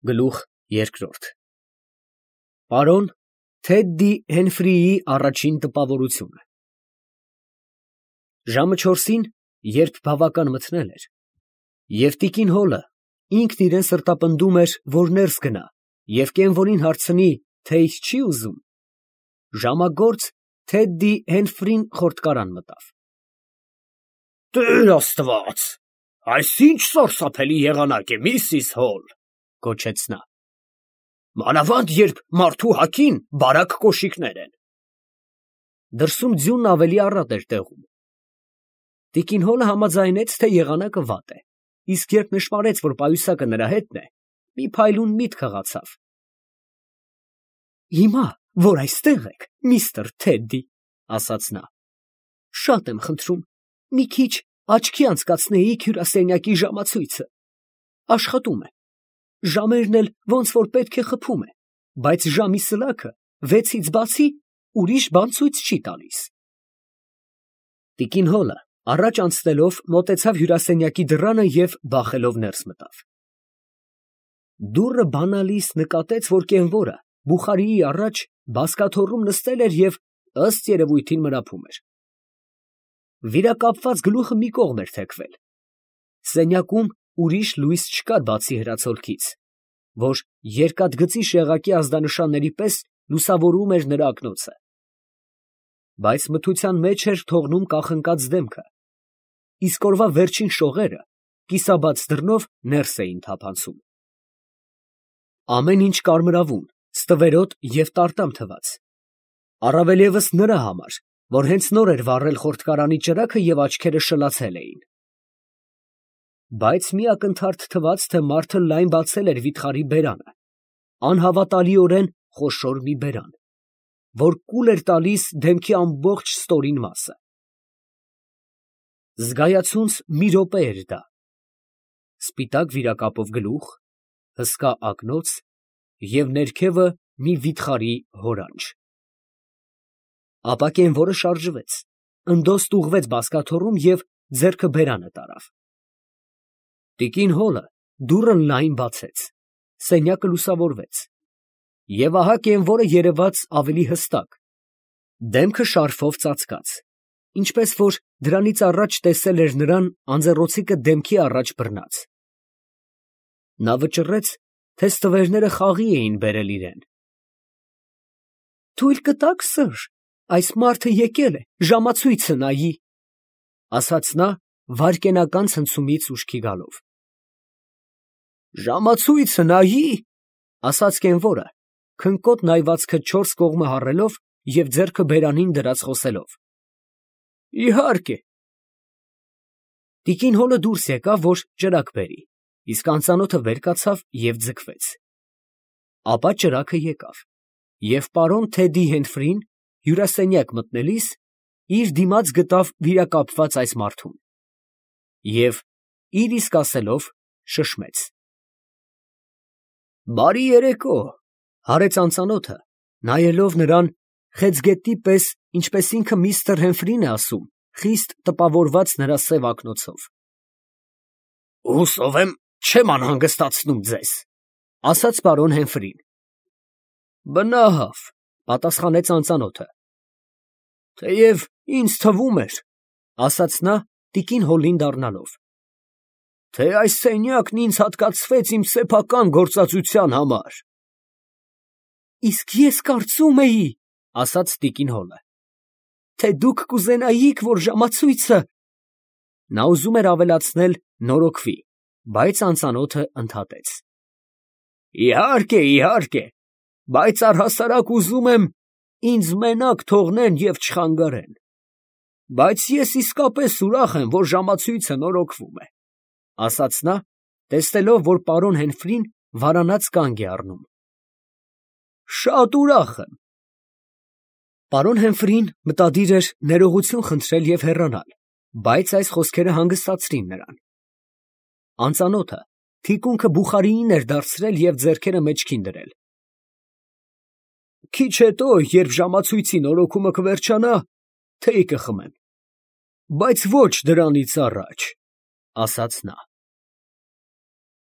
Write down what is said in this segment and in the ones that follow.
Գլուխ երկրորդ Պարոն Թեդդի Հենֆրիի առաջին տպավորությունը Ժամը 4-ին, երբ բավական մթնել էր, և տիկին Հոլը ինքն իրան սրտապնդում էր, որ ներս գնա և կենվորին հարցնի, թե ինչ չի ուզում, ժամագործ Թեդդի Հենֆրին խորտկարան մտավ։ Տեր Աստված, այս ինչ սարսափելի եղանակ է, Միսիս Հոլ, գոչեց նա։ Մանավանդ երբ մարդու հագին բարակ կոշիկներ են։ Դրսում ձյունն ավելի առատ էր տեղում։ Տիկին Հոլը համաձայնեց, թե եղանակը վատ է, իսկ երբ նշմարեց, որ պայուսակը նրա հետն է, մի փայլուն միտք հղացավ։ Հիմա, որ այստեղ եք, միստր Թեդդի, ասաց նա, շատ եմ խնդրում, մի քիչ աչքի անցկացնեիք հյուրասենյակի ժամացույցը։ Աշխատում է, ժամերն էլ ոնց որ պետք է խփում է, բայց ժամի սլաքը 6-ից բացի ուրիշ բան ցույց չի տալիս։ Տիկին Հոլը առաջ անցնելով մոտեցավ հյուրասենյակի դռանը և բախելով ներս մտավ։ Դուռը բանալիս նկատեց, որ կենվորը բուխարիի առաջ բազկաթոռում նստել էր և ըստ երևույթին մրափում էր։ Վիրակապված գլուխը մի կողմ էր թեքվել։ Սենյակում ուրիշ լույս չկար բացի հրացոլքից, որ երկաթգծի շեղակի ազդանշանների պես լուսավորում էր նրա ակնոցը։ Բայց մթության մեջ էր թողնում կախնկած դեմքը, իսկ օրվա վերջին շողերը կիսաբաց դռնով ներս էին թափանցում։ Ամեն ինչ կարմրավուն, ստվերոտ և տարտամ թվաց, առավել ևս նրա համար, որ հենց նոր էր վառել խորտկարանի ճրագը և աչքերը շլացել էին։ Բայց մի ակնթարթ թվաց, թե մարդը լայն բացել էր վիթխարի բերանը, անհավատալիորեն խոշոր մի բերան, որ կուլ էր տալիս դեմքի ամբողջ ստորին մասը։ Զգայացունց մի րոպե էր դա, սպիտակ վիրակապով գլուխ, հսկա ակնոց և ներքևը մի վիթխարի հորանջ։ Ապա կենվորը շարժվեց, ընդոստ ուղղվեց բազկաթոռում և ձեռքը բերանը տարավ։ Տիկին Հոլը դուռը լայն բացեց, սենյակը լուսավորվեց, և ահա կենվորը երևաց ավելի հստակ, դեմքը շարֆով ծածկած, ինչպես որ դրանից առաջ տեսել էր նրան անձեռոցիկը դեմքի առաջ բռնած։ Նա վճռեց, թե ստվերները խաղի էին բերել իրան։ «Թույլ կտա՞ք, սըր, այս մարդը եկել է ժամացույցը նայի», ֊ ասաց նա վայրկենական ցնցումից ուշքի գալով։ «Ժամացույցը նայի», ֊ ասաց կենվորը, քնկոտ նայվածքը չորս կողմը հառելով և ձեռքը բերանին դրած խոսելով։ «Իհարկե»։ Տիկին Հոլը դուրս եկավ, որ ճրագ բերի, իսկ անծանոթը վեր կացավ և ձգվեց։ Ապա ճրագը եկավ, և պարոն Թեդդի Հենֆրին հյուրասենյակ մտնելիս իր դիմաց գտավ վիրակապված այս մարդուն և, իր իսկ ասելով, շշմեց։ «Բարի երեկո», ֊ հարեց անծանոթը, նայելով նրան խեցգետնի պես, ինչպես ինքը միստր Հենֆրին է ասում, խիստ տպավորված նրա սև ակնոցով։ Հուսով եմ, չեմ անհանգստացնում ձեզ, ֊ ասաց պարոն Հենֆրին։ Բնավ, ֊ պատասխանեց անծանոթը։ թեև ինձ թվում էր, ֊ ասաց նա տիկին Հոլին դառնալով, թե այս սենյակն ինձ հատկացվեց իմ սեփական գործածության համար։ Իսկ ես կարծում էի, ֊ ասաց տիկին Հոլը, թե դուք կուզենայիք, որ ժամացույցը… Նա ուզում էր ավելացնել նորոգվի, բայց անծանոթը ընդհատեց. Իհարկե, իհարկե, բայց առհասարակ ուզում եմ ինձ մենակ թողնեն և չխանգարեն։ Բայց ես իսկապես ուրախ եմ, որ ժամացույցը նորոգվում է, ֊ ասաց նա, տեսնելով, որ պարոն Հենֆրին վարանած կանգ է առնում։ Շատ ուրախ եմ։ Պարոն Հենֆրին մտադիր էր ներողություն խնդրել և հեռանալ, բայց այս խոսքերը հանգստացրին նրան։ Անծանոթը թիկունքը բուխարիին էր դարձրել և ձեռքերը մեջքին դրել։ Քիչ հետո, երբ ժամացույցի նորոգումը կվերջանա, թեյ կխմեմ, բայց ոչ դրանից առաջ, ֊ ասաց նա։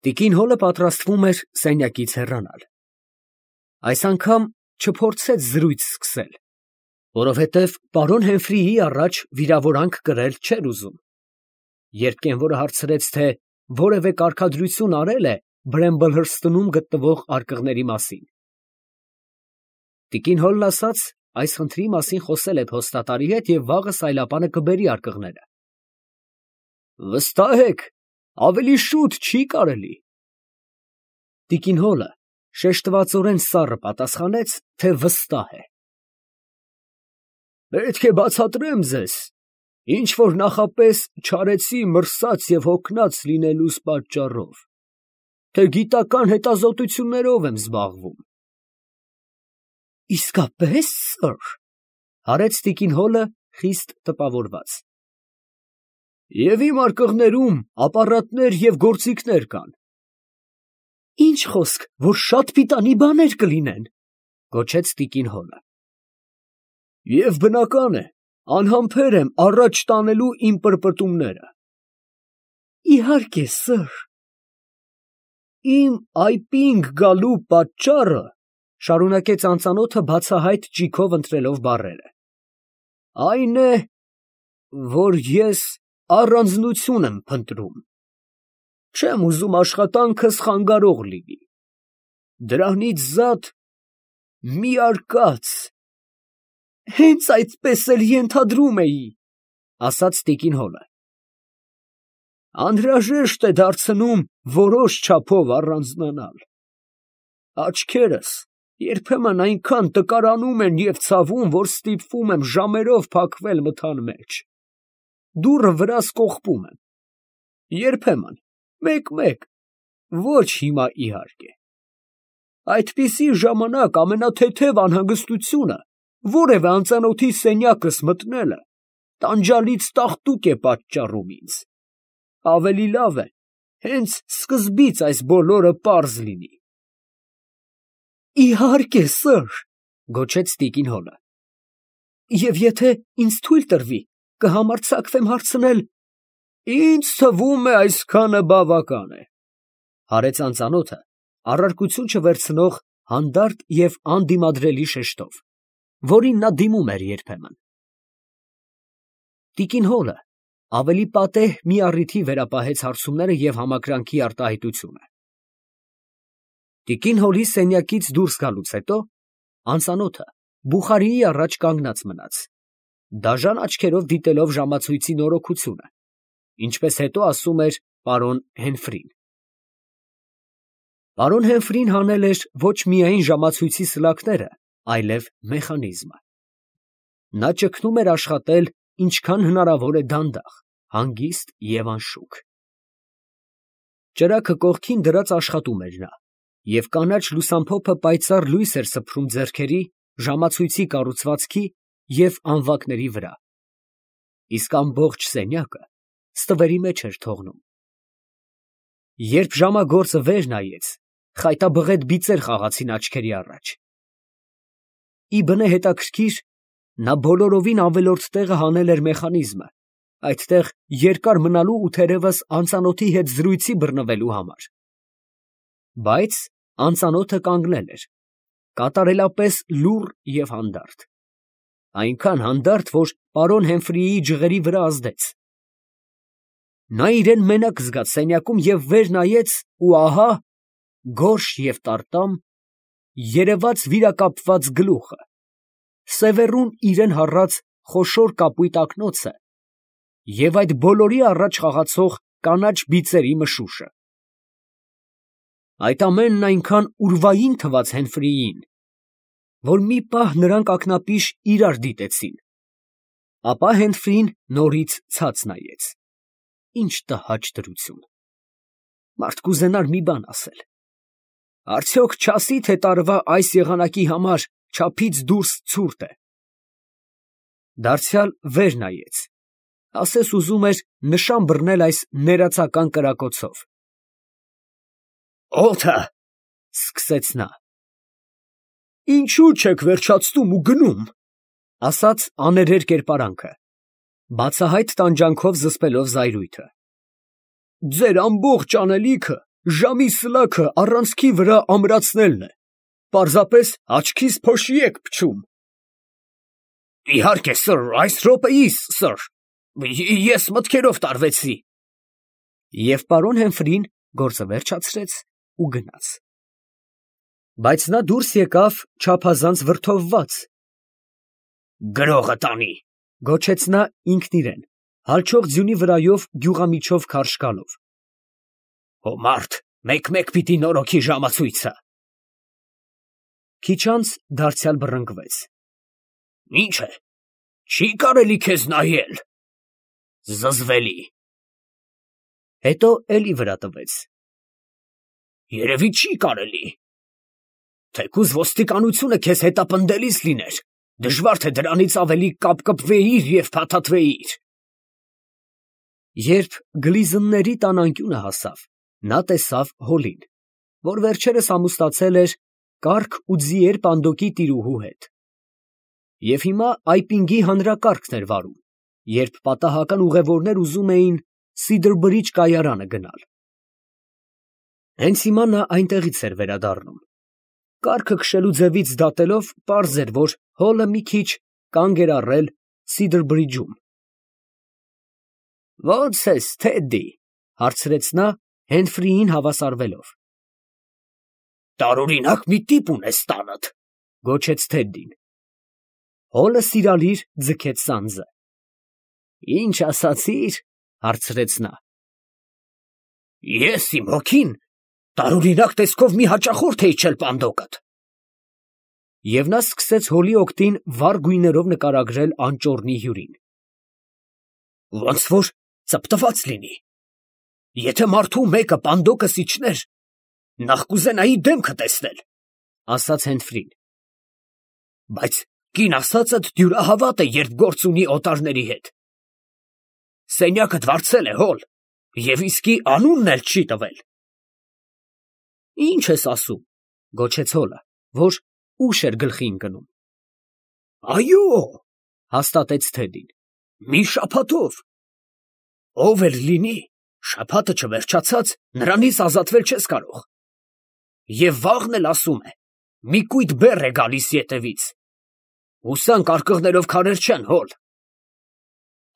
Տիկին Հոլը պատրաստվում էր սենյակից հեռանալ։ Այս անգամ չփորձեց զրույց սկսել, որովհետև պարոն Հեմֆրիի առաջ վիրավորանք կրել չէր ուզում։ Երբ կենվորը հարցրեց, թե որևէ կարգադրություն արել է Բրեմբլ Հըրսթնում գտնվող արկղների մասին, տիկին Հոլն ասաց, այս խնդրի մասին խոսել է փոստատարի հետ և վաղը սայլապանը կբերի արկղները։ Վստահ եք, ավելի շուտ չի կարելի։ Տիկին Հոլը շեշտվածորեն սառը պատասխանեց, թե վստահ է։ Պետք է բացատրեմ ձեզ, ինչ որ նախապես չարեցի մրսած և հոգնած լինելուս պատճառով, թե գիտական հետազոտություններով եմ զբաղվում։ Իսկապես, սըր, հարեց տիկին Հոլը խիստ տպավորված։ Եվ իմ արկղներում ապարատներ և գործիքներ կան։ Ինչ խոսք, որ շատ պիտանի բաներ կլինեն, գոչեց տիկին Հոլը։ Եվ բնական է, անհամբեր եմ առաջ տանելու իմ պրպտումները։ Իհարկե, սըր։ Իմ այպինգ գալու պատճառը, շարունակեց անծանոթը բացահայտ ճիգով ընտրելով բառերը, այն է, որ ես առանձնություն եմ փնտրում։ Չեմ ուզում աշխատանքս խանգարող լինի։ Դրանից զատ մի արկած։ Հենց այդպես էլ ենթադրում էի, ասաց տիկին Հոլը։ Անհրաժեշտ է դարձնում որոշ չափով առանձնանալ։ Աչքերս երբեմն այնքան տկարանում են և ցավում, որ ստիպվում եմ ժամերով փակվել մթան մեջ։ Դուռը վրաս կողպում եմ։ Երբեմն, մեկ-մեկ, ոչ հիմա իհարկե։ Այդպիսի ժամանակ ամենաթեթև անհանգստությունը որևէ անծանոթի սենյակս մտնելը տանջալից տաղտուկ է պատճառում ինձ։ Ավելի լավ է հենց սկզբից այս բոլորը պարզ լինի։ Իհարկե, սըր, գոչեց տիկին Հոլը։ Եվ եթե ինձ թույլ տրվի, կհամարձակվեմ հարցնել։ Ինձ թվում է այսքանը բավական է, հարեց անծանոթը, առարկություն չվերցնող հանդարտ և անդիմադրելի շեշտով, որին նա դիմում էր երբեմն։ Տիկին Հոլը ավելի պատեհ մի առիթի վերապահեց հարցումները և համակրանքի արտահայտությունը։ Տիկին Հոլի սենյակից դուրս գալուց հետո անծանոթը բուխարիի առաջ կանգնած մնաց, դաժան աչքերով դիտելով ժամացույցի նորոգությունը, ինչպես հետո ասում էր պարոն Հենֆրին։ Պարոն Հենֆրին հանել էր ոչ միայն ժամացույցի սլաքները, այլև մեխանիզմը։ Նա ճգնում էր աշխատել ինչքան հնարավոր է դանդաղ, հանգիստ և անշուք։ Ճրագը կողքին դրած աշխատում էր նա, և կանաչ լուսամփոփը պայծառ լույս էր սփռում ձեռքերի, ժամացույցի կառուցվածքի և անվակների վրա, իսկ ամբողջ սենյակը ստվերի մեջ էր թողնում։ Երբ ժամագործը վեր նայեց, խայտաբղետ բիծեր խաղացին աչքերի առաջ։ Ի բնե հետաքրքիր, նա բոլորովին ավելորդ տեղը հանել էր մեխանիզմը, այդտեղ երկար մնալու ու թերևս անծանոթի հետ զրույցի բռնվելու համար։ Բայց անծանոթը կանգնել էր, կատարելապես լուռ և հանդարտ, այնքան հանդարտ, որ պարոն Հեմֆրիի ջղերի վրա ազդեց։ Նա իրան մենակ զգաց սենյակում և վեր նայեց, ու ահա, գորշ և տարտամ, երևաց վիրակապված գլուխը, սևեռուն իրան հառած խոշոր կապույտ ակնոցը և այդ բոլորի առաջ խաղացող կանաչ բիծերի մշուշը։ Այդ ամենն այնքան ուրվային թվաց Հենֆրիին, որ մի պահ նրանք ակնապիշ իրար դիտեցին, ապա Հենֆրին նորից ցած նայեց։ Ինչ տհաճ դրություն։ Մարդ կուզենար մի բան ասել։ Արդյոք չասի, թե տարվա այս եղանակի համար չափից դուրս ցուրտ է։ Դարձյալ վեր նայեց, ասես ուզում էր նշան բռնել այս ներածական կրակոցով։ Օդը, սկսեց նա։ Ինչու չեք վերջացնում ու գնում, ասաց աներեր կերպարանքը, բացահայտ տանջանքով զսպելով զայրույթը։ Ձեր ամբողջ անելիքը ժամի սլաքը առանցքի վրա ամրացնելն է, պարզապես աչքիս փոշի եք փչում։ Իհարկե, սըր, այս րոպեիս, սըր, ես մտքերով տարվեցի։ Եվ պարոն Հեմֆրին գործը վերջացրեց ու գնաց։ Բայց նա դուրս եկավ չափազանց վրդովված։ Գրողը տանի, Գոչեց նա ինքն իրեն, հալչող ձյունի վրայով գյուղամիջով քարշ գալով։ հո մարդ, մեկ-մեկ պիտի նորոգի ժամացույցը։ Քիչ անց դարձյալ բռնկվեց։ Ինչ է, չի կարելի քեզ նայել։ Զզվելի։ Հետո էլի վրա տվեց։ Երևի չի կարելի։ Թեկուզ ոստիկանությունը քեզ հետապնդելիս լիներ, դժվար թե դրանից ավելի կապկպվեիր և փաթաթվեիր։ Երբ գլիզնների տան անկյունը հասավ, նա տեսավ Հոլին, որ վերջերս ամուսնացել էր կառք ու ձիեր պանդոկի տիրուհու հետ։ Եվ հիմա այպինգի հանրակարգն էր վարում, երբ պատահական ուղևորներ ուզում էին Սիդր Բրիջ կայարանը գնալ։ Հենց հիմա նա այնտեղից էր վերադառնում։ Կառքը քշելու ձևից դատելով, պարզ էր, որ Հոլը մի քիչ կանգ էր առել Սիդր Բրիջում։ «Ո՞նց ես, Թեդդի», հարցրեց նա Հենֆրիին հավասարվելով։ Տարօրինակ մի տիպ ունես տանդ, գոչեց Թեդդին։ Հոլը սիրալիր ձգեց սանձը։ Ինչ ասացիր, հարցրեց նա։ Ես իմ հոգին տարօրինակ տեսքով մի հաճախորդ էի չել պանդոկդ։ Եվ նա սկսեց Հոլի օգտին վառ գույներով նկարագրել անճոռնի հյուրին։ Ոնց որ ծպտված լինի։ Եթե մարդու մեկը պանդոկս իջներ, նախ կուզենայի դեմքը տեսնել, ասաց Հենֆրին։ Բայց կին ասածդ դյուրահավատ է, երբ գործ ունի օտարների հետ։ Սենյակդ վարձել է, Հոլ, և իսկի անունն էլ չի տվել։ Ինչ ես ասում, գոչեց Հոլը, որ ուշ էր գլխի ընկնում։ Այո, հաստատեց Թեդին, մի շաբաթով։ Ով էլ լինի, շաբաթը չվերջացած, նրանից ազատվել չես կարող։ Եվ վաղն էլ ասում է, մի կույտ բեռ է գալիս ետևից։ Հուսանք արկղներով քարեր չեն, Հոլ։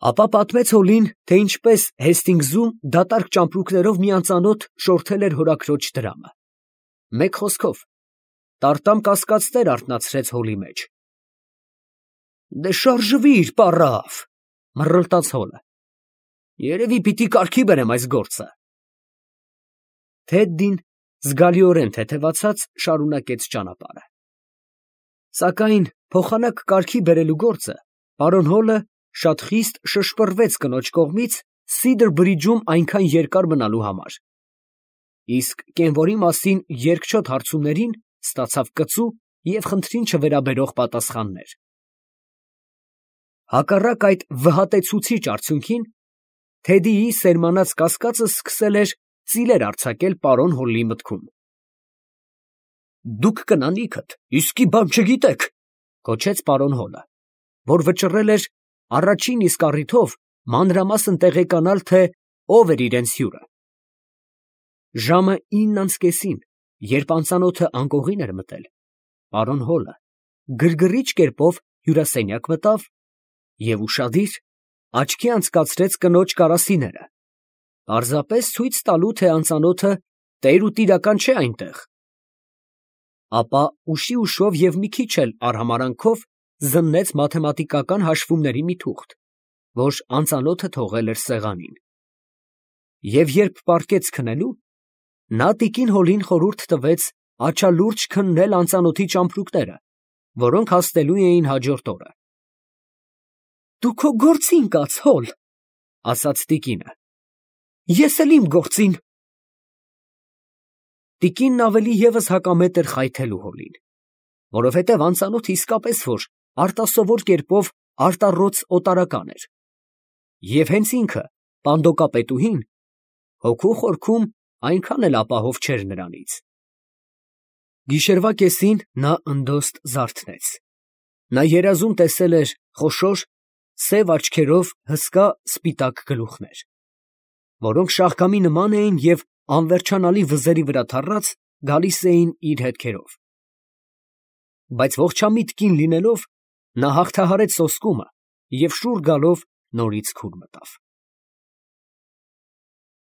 Ապա պատմեց Հոլին, թե ինչպես Հեստինգզում դատարկ ճամպրուկներով մի անծանոթ շորթել էր հորաքրոջ դրամը։ Մեկ խոսքով, տարտամ կասկածներ արթնացրեց Հոլի մեջ։ Դե շարժվիր, պառավ, մռլտաց Հոլը։ Երևի պիտի կարգի բերեմ այս գործը։ Թեդդին զգալիորեն թեթևացած շարունակեց ճանապարհը։ Սակայն փոխանակ կարգի բերելու գործը պարոն Հոլը շատ խիստ շշպռվեց կնոջ կողմից Սիդր Բրիջում այնքան երկար մնալու համար։ Իսկ կենվորի մասին երկչոտ հարցումներին ստացավ կծու և խնդրին չվերաբերող պատասխաններ։ Հակառակ այդ վհատեցուցիչ արդյունքին, Թեդիի սերմանած կասկածը սկսել էր ծիլեր արձակել պարոն Հոլի մտքում։ Դուք կնանիքդ իսկի բան չգիտեք, գոչեց պարոն Հոլը, որ վճռել էր առաջին իսկ առիթով մանրամասն տեղեկանալ, թե ով էր իրենց հյուրը։ Ժամը 9:30, երբ անծանոթը անկողին էր մտել, պարոն Հոլը գրգռիչ կերպով հյուրասենյակ մտավ և ուշադիր աչքի անցկացրեց կնոջ կարասիները, պարզապես ցույց տալու, թե անծանոթը տեր ու տիրական չէ այնտեղ։ Ապա ուշի ուշով և մի քիչ էլ արհամարանքով զննեց մաթեմատիկական հաշվումների մի թուղթ, որ անծանոթը թողել էր սեղանին։ Եվ երբ պառկեց քնելու, նա տիկին Հոլին խորհուրդ տվեց աչալուրջ քննել անծանոթի ճամպրուկները, որոնք հասնելու էին հաջորդ օրը։ Դու քո գործին կաց, Հոլ, ասաց տիկինը։ Ես էլ իմ գործին։ Տիկինն ավելի ևս հակամետ էր խայթելու Հոլին, որովհետև անծանոթը իսկապես որ արտասովոր կերպով արտառոց օտարական էր։ Եվ հենց ինքը, պանդոկապետուհին, հոգու խորքում այնքան էլ ապահով չէր նրանից։ Գիշերվա կեսին նա ընդոստ զարթնեց։ Նա երազում տեսել էր խոշոր, սև աչքերով հսկա սպիտակ գլուխներ, որոնք շաղկամի նման էին և անվերջանալի վզերի վրա թռած, գալիս էին իր հետքերով։ Բայց ողջամիտ կին լինելով, նա հաղթահարեց սոսկումը և շուռ գալով նորից քուր մտավ։